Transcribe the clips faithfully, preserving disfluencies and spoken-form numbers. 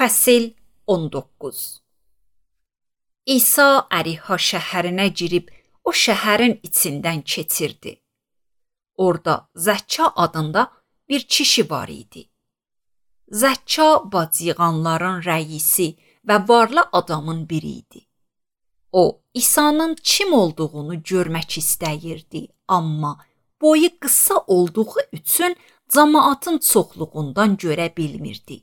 Fəsil on doqquz. İsa Əriha şəhərinə girib o şəhərin içindən keçirdi. Orada Zəkka adında bir kişi var idi. Zəkka bacıyğanların rəisi və varlı adamın biri idi. O, İsa'nın kim olduğunu görmək istəyirdi, amma boyu qısa olduğu üçün cəmaatın çoxluğundan görə bilmirdi.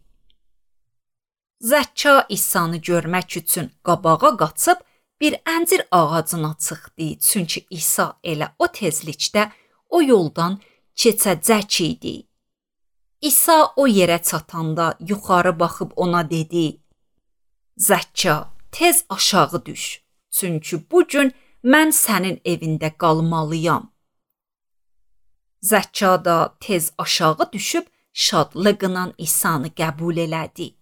Zəkka İsa'nı görmək üçün qabağa qaçıb bir əncir ağacına çıxdı, çünki İsa elə o tezlikdə o yoldan keçəcək idi. İsa o yerə çatanda yuxarı baxıb ona dedi: Zəkka, tez aşağı düş, çünki bu gün mən sənin evində qalmalıyam. Zəkka da tez aşağı düşüb şadlıqla İsa'nı qəbul elədi.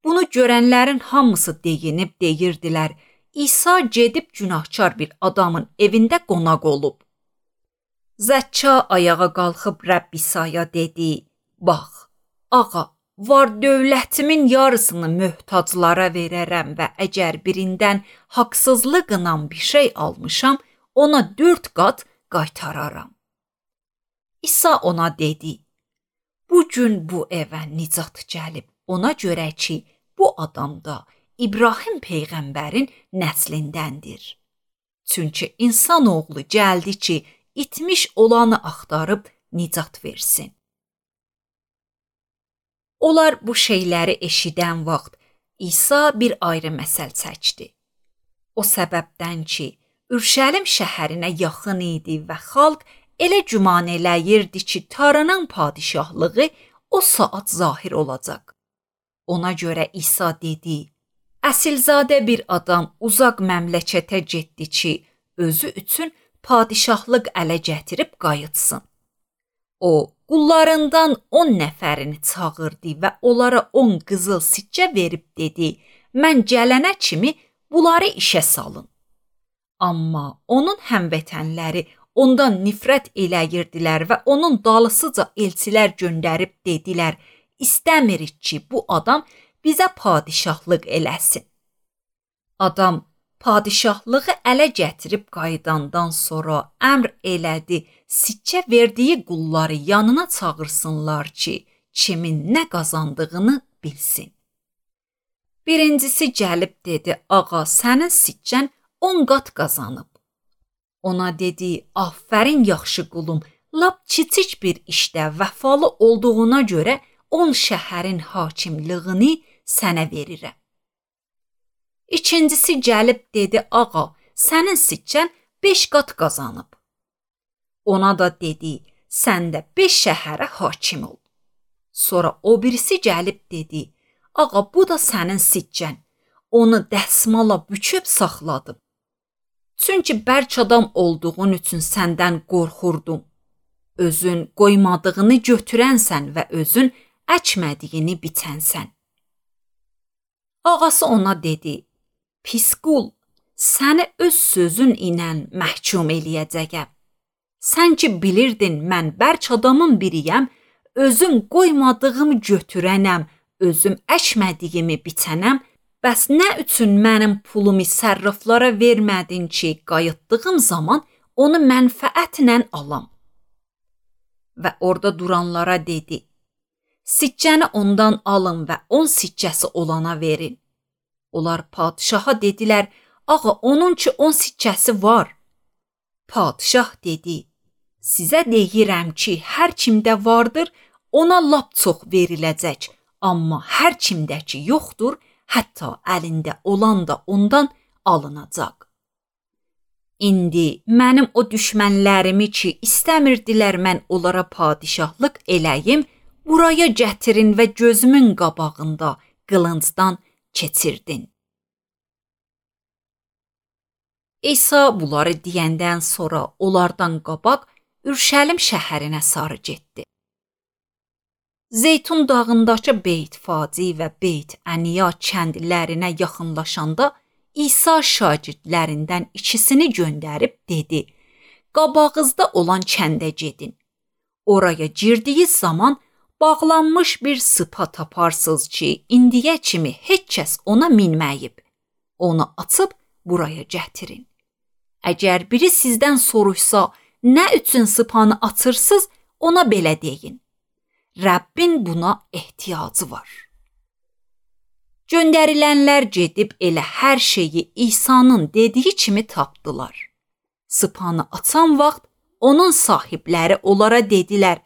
Bunu görənlərin hamısı deyinib deyirdilər: İsa gedib günahkar bir adamın evində qonaq olub. Zəkka ayağa qalxıb Rəbb İsa'ya dedi: Bax, ağa, var dövlətimin yarısını möhtaclara verərəm və əgər birindən haqsızlıqla bir şey almışam, ona dörd qat qaytararam. İsa ona dedi: Bu gün bu evə nicat gəlib, ona görə ki, bu adam da İbrahim peyğəmbərin nəslindəndir. Çünki insanoğlu gəldi ki, itmiş olanı axtarıb nicat versin. Onlar bu şeyləri eşidən vaxt İsa bir ayrı məsəl çəkdi. O səbəbdən ki, Ürşəlim şəhərinə yaxın idi və xalq elə güman eləyirdi ki, Tanrının padişahlığı o saat zahir olacaq. Ona görə İsa dedi: Əsilzadə bir adam uzaq məmləkətə getdi ki, özü üçün padişahlıq ələ gətirib qayıtsın. O, qullarından on nəfərini çağırdı və onlara on qızıl siccə verib dedi: Mən gələnə kimi bunları işə salın. Amma onun həmvətənləri ondan nifrət eləyirdilər və onun dalısıca elçilər göndərib dedilər: İstəmirik ki, bu adam bizə padişahlıq eləsin. Adam padişahlığı ələ gətirib qayıdandan sonra əmr elədi, siccə verdiyi qulları yanına çağırsınlar ki, kimin nə qazandığını bilsin. Birincisi gəlib dedi: Ağa, sənin siccən on qat qazanıb. Ona dedi: Afərin yaxşı qulum, lap kiçik bir işdə vəfalı olduğuna görə on şəhərin hakimliyini sənə verirəm. İkincisi gəlib dedi: Ağa, sənin siccən beş qat qazanıb. Ona da dedi: Sən də beş şəhərə hakim ol. Sonra o birisi gəlib dedi: Ağa, bu da sənin siccən. Onu dəsmala büküb saxladım. Çünki bərk adam olduğun üçün səndən qorxurdum. Özün qoymadığını götürənsən və özün əkmədiyini biçənsən. Ağası ona dedi: Pis qul, səni öz sözün ilə məhkum eləyəcəyəm. Sən ki bilirdin mən bərk adamın biriyəm, özüm qoymadığımı götürənəm, özüm əkmədiyimi biçənəm, bəs nə üçün mənim pulumu sərraflara vermədin ki, qayıtdığım zaman onu mənfəətlə alam? Və orada duranlara dedi: Siccəni ondan alın və on siccəsi olana verin. Onlar padişaha dedilər: Ağa, onun ki on siccəsi var. Padişah dedi: Sizə deyirəm ki, hər kimdə vardır, ona lap çox veriləcək, amma hər kimdə ki yoxdur, hətta əlində olan da ondan alınacaq. İndi mənim o düşmənlərimi ki, istəmirdilər mən onlara padişahlıq eləyim, buraya gətirin və gözümün qabağında qılıncdan keçirdin. İsa bunları deyəndən sonra onlardan qabaq Ürşəlim şəhərinə sarı getdi. Zeytun dağındakı Beyt-Faci və Beyt-Əniya kəndlərinə yaxınlaşanda İsa şagirdlərindən ikisini göndərib dedi: Qabağınızda olan kəndə gedin. Oraya girdiyi zaman bağlanmış bir sıpa taparsınız ki, indiyə kimi heç kəs ona minməyib. Onu atıb buraya gətirin. Əgər biri sizdən soruşsa, nə üçün sıpanı atırsınız, ona belə deyin. Rəbbin buna ehtiyacı var. Göndərilənlər gedib elə hər şeyi İsa'nın dediyi kimi tapdılar. Sıpanı açan vaxt onun sahibləri onlara dedilər,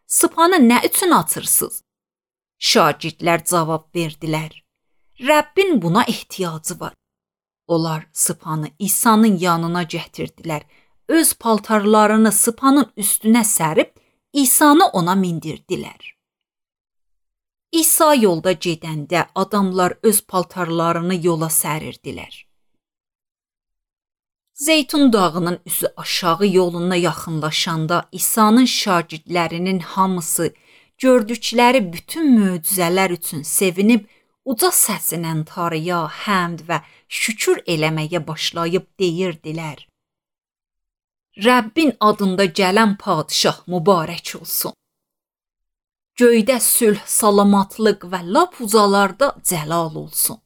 sıpanı nə üçün atırsınız? Şagirdlər cavab verdilər, Rəbbin buna ehtiyacı var. Onlar sıpanı İsa'nın yanına gətirdilər, öz paltarlarını sıpanın üstünə sərib, İsa'nı ona mindirdilər. İsa yolda gedəndə adamlar öz paltarlarını yola sərirdilər. Zeytun dağının üzü aşağı yoluna yaxınlaşanda İsa'nın şagirdlərinin hamısı gördükləri bütün möcüzələr üçün sevinib, uca səsindən Tanrıya həmd və şükür eləməyə başlayıb deyirdilər. Rəbbin adında gələn padişah mübarək olsun. Göydə sülh, salamatlıq və lap ucalarda cəlal olsun.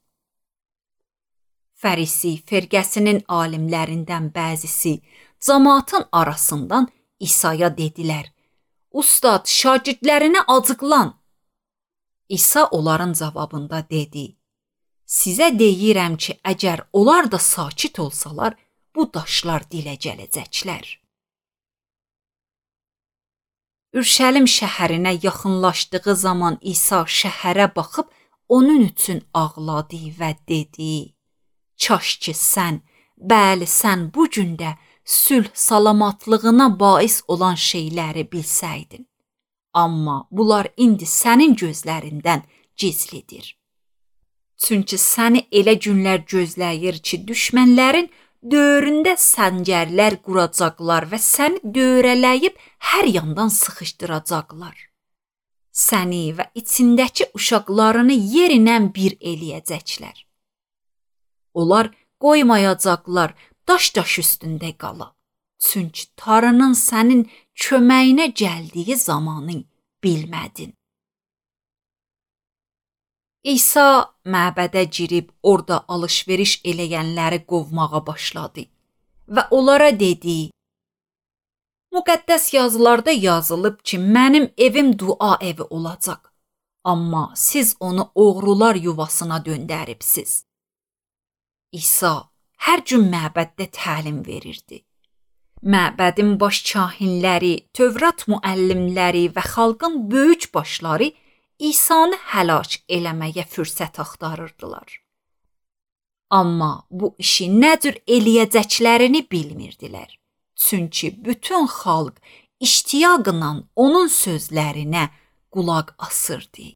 Fərisi firqəsinin alimlərindən bəzisi cəmaatın arasından İsa'ya dedilər, Ustad, şagirdlərinə acıqlan. İsa onların cavabında dedi, sizə deyirəm ki, əgər onlar da sakit olsalar, bu daşlar dilə gələcəklər. Ürşəlim şəhərinə yaxınlaşdığı zaman İsa şəhərə baxıb onun üçün ağladı və dedi, kaş ki sən, bəli sən bu gündə sülh salamatlığına bais olan şeyləri bilsəydin. Amma bunlar indi sənin gözlərindən gizlidir. Çünki səni elə günlər gözləyir ki, düşmənlərin dövründə səngərlər quracaqlar və səni dövrələyib hər yandan sıxışdıracaqlar. Səni və içindəki uşaqlarını yerinə bir eləyəcəklər. Onlar qoymayacaqlar daş-daş üstündə qala. Çünki Tanrının sənin köməyinə gəldiyi zamanı bilmədin. İsa məbədə girib orada alış-veriş eləyənləri qovmağa başladı və onlara dedi, Müqəddəs yazılarda yazılıb ki, mənim evim dua evi olacaq, amma siz onu oğrular yuvasına döndəribsiz. İsa hər gün məbəddə təlim verirdi. Məbədin baş kahinləri, Tövrat müəllimləri və xalqın böyük başları İsa'nı həlak eləməyə fürsət axtarırdılar. Amma bu işi nə cür eləyəcəklərini bilmirdilər. Çünki bütün xalq iştiyaqla onun sözlərinə qulaq asırdı.